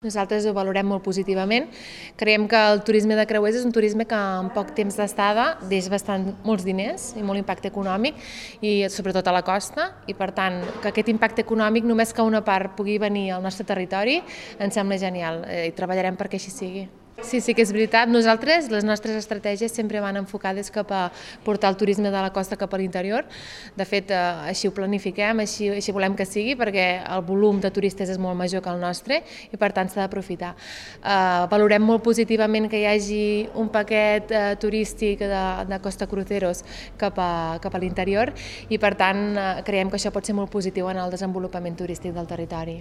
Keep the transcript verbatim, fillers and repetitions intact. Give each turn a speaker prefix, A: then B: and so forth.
A: Nosaltres ho valorem molt positivament. Creiem que el turisme de creuers és un turisme que en poc temps d'estada deixa bastant molts diners i molt impacte econòmic, i sobretot a la costa, i per tant que aquest impacte econòmic només que una part pugui venir al nostre territori ens sembla genial i treballarem perquè així sigui. Sí, sí que és veritat. Nosaltres, les nostres estratègies sempre van enfocades cap a portar el turisme de la costa cap a l'interior. De fet, així ho planifiquem, així, així volem que sigui, perquè el volum de turistes és molt major que el nostre i per tant s'ha d'aprofitar. Uh, valorem molt positivament que hi hagi un paquet uh, turístic de, de Costa Cruceros cap a, cap a l'interior i per tant uh, creiem que això pot ser molt positiu en el desenvolupament turístic del territori.